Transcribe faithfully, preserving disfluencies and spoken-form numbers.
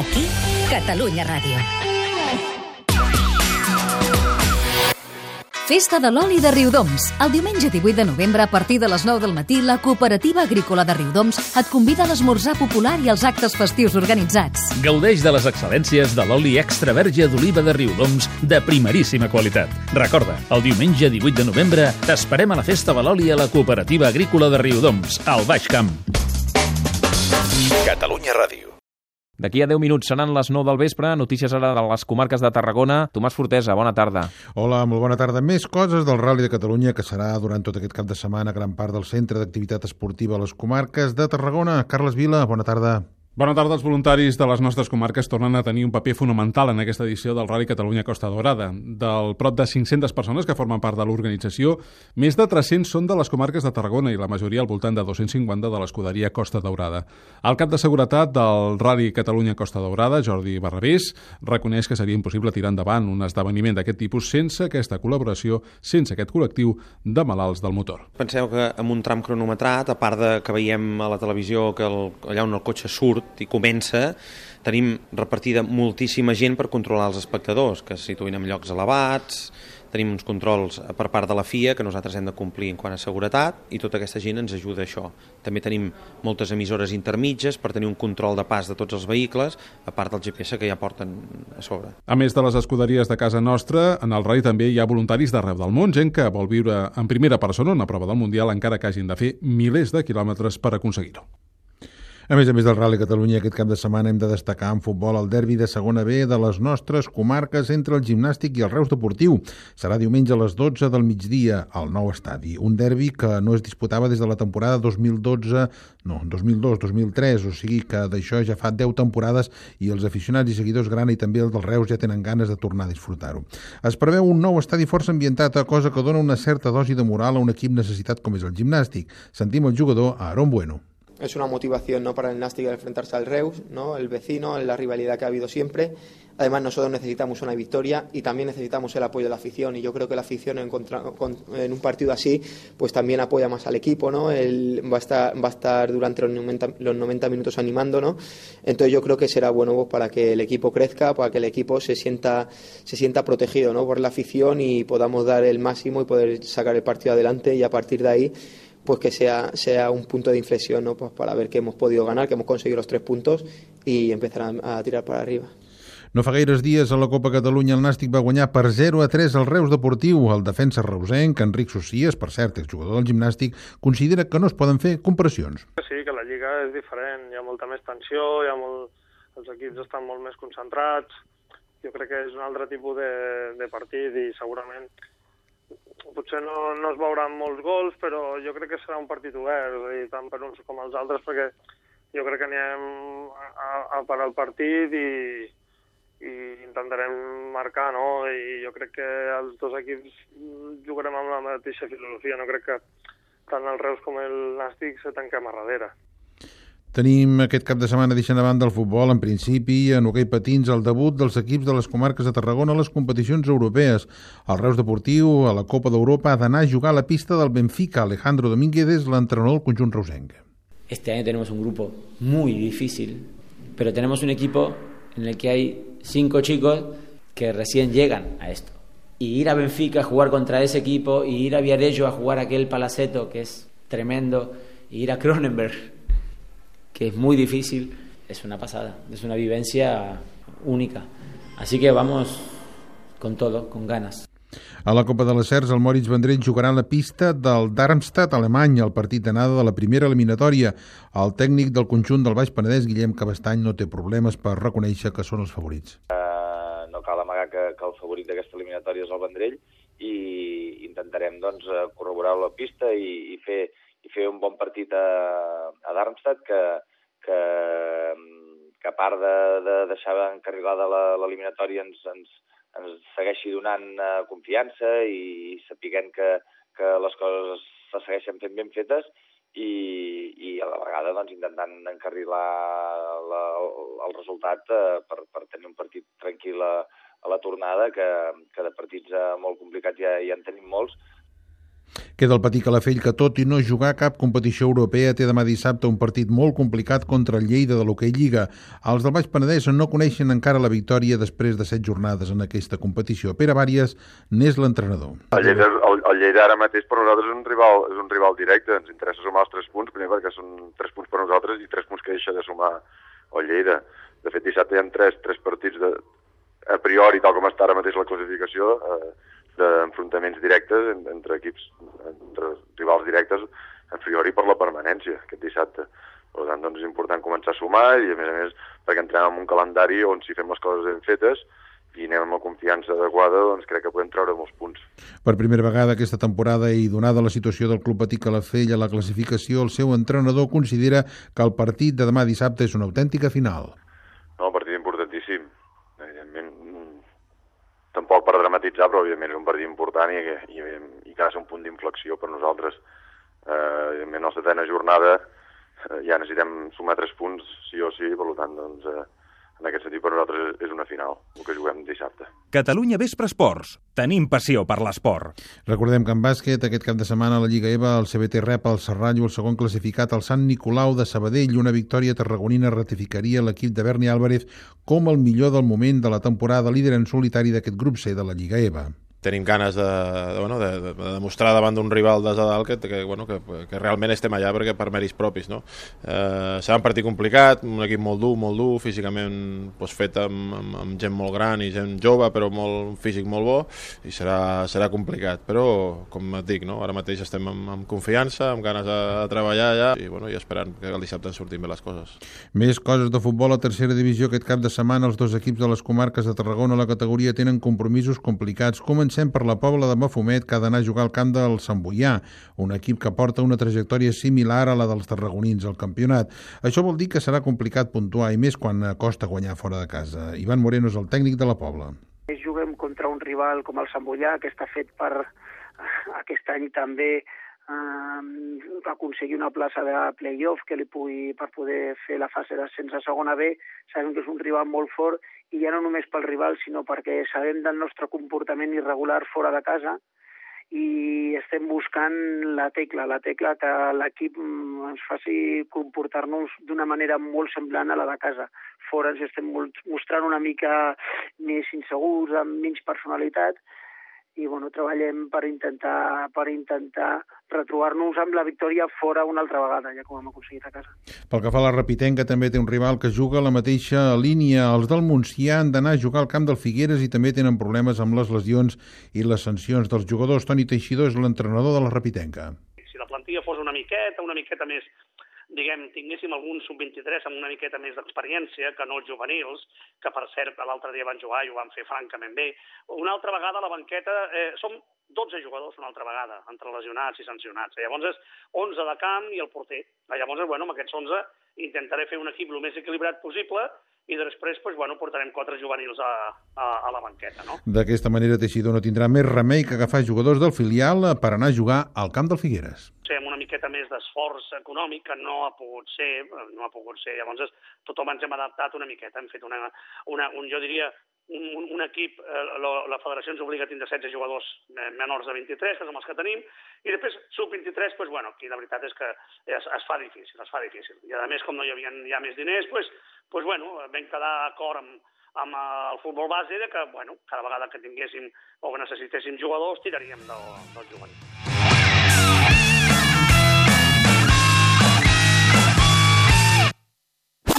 Aquí, Catalunya Ràdio. Festa de l'oli de Riudoms. El diumenge divuit de novembre, a partir de les nou del matí, la Cooperativa Agrícola de Riudoms et convida a l'esmorzar popular i als actes festius organitzats. Gaudeix de les excel·lències de l'oli extra verge d'oliva de Riudoms de primeríssima qualitat. Recorda, el diumenge divuit de novembre t'esperem a la Festa de l'oli a la Cooperativa Agrícola de Riudoms, al Baix Camp. Catalunya Ràdio. D'aquí a deu minuts seran les nou del vespre. Notícies ara de les comarques de Tarragona. Tomàs Fortesa, bona tarda. Hola, molt bona tarda. Més coses del Rally de Catalunya, que serà durant tot aquest cap de setmana gran part del centre d'activitat esportiva a les comarques de Tarragona. Carles Vila, bona tarda. Bona tarda. Els voluntaris de les nostres comarques tornen a tenir un paper fonamental en aquesta edició del Rally Catalunya Costa Daurada. Del prop de cinc-centes persones que formen part de l'organització, més de tres-cents són de les comarques de Tarragona i la majoria al voltant de dos-cents cinquanta de l'escuderia Costa Daurada. El cap de seguretat del Rally Catalunya Costa Daurada, Jordi Barrabés, reconeix que seria impossible tirar endavant un esdeveniment d'aquest tipus sense aquesta col·laboració, sense aquest col·lectiu de malalts del motor. Penseu que amb un tram cronometrat, a part de que veiem a la televisió que el, allà on el cotxe surt i comença, tenim repartida moltíssima gent per controlar els espectadors, que es situïn en llocs elevats, tenim uns controls per part de la F I A que nosaltres hem de complir en quant a seguretat i tota aquesta gent ens ajuda a això. També tenim moltes emissores intermitges per tenir un control de pas de tots els vehicles, a part del G P S que ja porten a sobre. A més de les escuderies de casa nostra, en el Rally també hi ha voluntaris d'arreu del món, gent que vol viure en primera persona una prova del Mundial encara que hagin de fer milers de quilòmetres per aconseguir-ho. A més a més del Rally Catalunya, aquest cap de setmana hem de destacar en futbol el derbi de segona B de les nostres comarques entre el Gimnàstic i el Reus Deportiu. Serà diumenge a les dotze del migdia al nou estadi. Un derbi que no es disputava des de la temporada dos mil dotze, no, dos mil dos dos mil tres, o sigui que d'això ja fa deu temporades i els aficionats i seguidors grana i també els del Reus ja tenen ganes de tornar a disfrutar-ho. Es preveu un nou estadi força ambientat, cosa que dona una certa dosi de moral a un equip necessitat com és el Gimnàstic. Sentim el jugador Aaron Bueno. Es una motivación, ¿no?, para el Nàstic enfrentarse al Reus, ¿no?, el vecino, la rivalidad que ha habido siempre. Además, nosotros necesitamos una victoria y también necesitamos el apoyo de la afición, y yo creo que la afición en, contra, en un partido así pues también apoya más al equipo, ¿no? Él va a estar, va a estar durante los noventa, los noventa minutos animando, ¿no? Entonces yo creo que será bueno pues, para que el equipo crezca, para que el equipo se sienta, se sienta protegido, ¿no?, por la afición y podamos dar el máximo y poder sacar el partido adelante, y a partir de ahí pues que sea, sea un punto de inflexión, ¿no?, pues para ver que hemos podido ganar, que hemos conseguido los tres puntos y empezar a, a tirar para arriba. No fa gaires dies a la Copa Catalunya el Nàstic va guanyar per zero a tres al Reus Deportiu. El defensa reusenc, Enric Socias, per cert, exjugador del Gimnàstic, considera que no es poden fer comparacions. Sí, que la Lliga és diferent, hi ha molta més tensió, hi ha molt... els equips estan molt més concentrats, jo crec que és un altre tipus de, de partit i segurament potser no, no es veuran molts gols, però jo crec que serà un partit obert, i tant per uns com els altres, perquè jo crec que anirem a, a per al partit i, i intentarem marcar, no? I jo crec que els dos equips jugarem amb la mateixa filosofia, no crec que tant el Reus com el Nàstic se tanquem a darrere. Tenim aquest cap de setmana, deixant a banda el futbol, en principi, en hoquei patins, el debut dels equips de les comarques de Tarragona a les competicions europees. El Reus Deportiu, a la Copa d'Europa, ha d'anar a jugar a la pista del Benfica. Alejandro Domínguez és l'entrenador del conjunt reusenc. Este año tenemos un grupo muy difícil, pero tenemos un equipo en el que hay cinco chicos que recién llegan a esto. Y ir a Benfica a jugar contra ese equipo, y ir a Viarello a jugar aquel Palaceto, que es tremendo, y ir a Cronenberg, que es muy difícil, es una pasada, es una vivencia única. Así que vamos con todo, con ganas. A la Copa de les Cercs, el Moritz Vendrell jugarà a la pista del Darmstadt alemany, el partit d'anada de la primera eliminatòria. El tècnic del conjunt del Baix Penedès, Guillem Cabestany, no té problemes per reconèixer que són els favorits. Uh, no cal amagar que, que el favorit d'aquesta eliminatòria és el Vendrell, i intentarem doncs, corroborar la pista i, i fer i fer un bon partit a, a Darmstadt, que, que, que a part de, de deixar encarrilada l'eliminatòria ens, ens, ens segueixi donant uh, confiança i sapiguem que, que les coses se segueixen fent ben fetes i, i a la vegada doncs, intentant encarrilar la, el resultat uh, per, per tenir un partit tranquil a, a la tornada, que, que de partits uh, molt complicats ja, ja en tenim molts. Queda el Patí Calafell, que tot i no jugar cap competició europea té demà dissabte un partit molt complicat contra el Lleida de l'Hoquei Lliga. Els del Baix Penedès no coneixen encara la victòria després de set jornades en aquesta competició. Pere Bàries n'és l'entrenador. El Lleida, el, el Lleida ara mateix per nosaltres és un rival, és un rival directe. Ens interessa sumar els tres punts, primer perquè són tres punts per nosaltres i tres punts que deixa de sumar el Lleida. De fet, dissabte hi ha tres, tres partits de, a priori, tal com està ara mateix la classificació, eh, d'enfrontaments directes entre equips, entre rivals directes, a priori per la permanència aquest dissabte. Per tant, doncs, és important començar a sumar i, a més a més, perquè entrem en un calendari on si fem les coses ben fetes i anem amb la confiança adequada, doncs crec que podem treure molts punts. Per primera vegada aquesta temporada i donada la situació del Club Patí Calafell a la classificació, el seu entrenador considera que el partit de demà dissabte és una autèntica final. No, un partit importantíssim. Evidentment, tampoc per dramatitzar, però evidentment és un partit important i, i, i que ha de ser un punt d'inflexió per nosaltres. Eh, evidentment, a la setena jornada eh, ja necessitem sumar tres punts, sí o sí, per tant, doncs, eh, en aquest sentit per nosaltres és una final, el que juguem dissabte. Catalunya Vespre Esports. Tenim passió per l'esport. Recordem que en bàsquet, aquest cap de setmana a la Lliga E V A, el C B T rep el Serrallo, el segon classificat, el Sant Nicolau de Sabadell. Una victòria tarragonina ratificaria l'equip de Berni Álvarez com el millor del moment de la temporada, líder en solitari d'aquest grup C de la Lliga E V A. Tenim ganes de, de, bueno, de, de, de demostrar davant d'un rival des de dalt que, que, bueno, que, que realment estem allà perquè per mèrits propis, no? Eh, serà un partit complicat, un equip molt dur, molt dur, físicament doncs, fet amb, amb, amb gent molt gran i gent jove, però molt, un físic molt bo, i serà, serà complicat, però com et dic, no? Ara mateix estem amb, amb confiança, amb ganes de, de treballar allà i, bueno, i esperant que el dissabte ens sortim bé les coses. Més coses de futbol a tercera divisió. Aquest cap de setmana els dos equips de les comarques de Tarragona a la categoria tenen compromisos complicats. Comencem per la Pobla de Mafumet, que ha d'anar a jugar al camp del Sant Boià, un equip que porta una trajectòria similar a la dels tarragonins al campionat. Això vol dir que serà complicat puntuar, i més quan costa guanyar fora de casa. Ivan Moreno és el tècnic de la Pobla. Juguem contra un rival com el Sant Boià, que està fet per aquest any també eh, aconseguir una plaça de play-off que li pugui, per poder fer la fase d'ascens a segona B. Sabem que és un rival molt fort, i ja no només pel rival, sinó perquè sabem del nostre comportament irregular fora de casa i estem buscant la tecla, la tecla que l'equip ens faci comportar-nos d'una manera molt semblant a la de casa. Fora ens estem mostrant una mica més insegurs, amb menys personalitat, i bueno, treballem per intentar per intentar retrobar-nos amb la victòria fora una altra vegada, ja com hem aconseguit a casa. Pel que fa a la Repitenca, també té un rival que juga a la mateixa línia. Els del Montsià han d'anar a jugar al camp del Figueres i també tenen problemes amb les lesions i les sancions dels jugadors. Toni Teixidor és l'entrenador de la Repitenca. Si la plantilla fos una miqueta, una miqueta més, diguem, tinguéssim algun sub vint-i-tres amb una miqueta més d'experiència que no els juvenils, que per cert l'altre dia van jugar i ho van fer francament bé. Una altra vegada a la banqueta eh, som dotze jugadors una altra vegada, entre lesionats i sancionats. Llavors és onze de camp i el porter. Llavors, bueno, amb aquests onze intentaré fer un equip el més equilibrat possible i després pues, bueno, portarem quatre juvenils a, a, a la banqueta. No? D'aquesta manera, Teixidor no tindrà més remei que agafar jugadors del filial per anar a jugar al camp del Figueres. Sí, amb una miqueta més d'esforç econòmic que no ha pogut ser, no ha pogut ser. Llavors tothom ens hem adaptat una miqueta, hem fet una, una un, jo diria, un, un, un equip, eh, la, la federació ens obliga a tindre setze jugadors menors de vint-i-tres, que som els que tenim, i després sub vint-i-tres, pues, bueno, aquí la veritat és que es, es fa difícil, es fa difícil. I a més, com no hi havia ja més diners, pues, pues, bueno, vam quedar d'acord amb, amb el futbol base de que, bueno, cada vegada que tinguéssim o que necessitéssim jugadors, tiraríem del, del juvenil.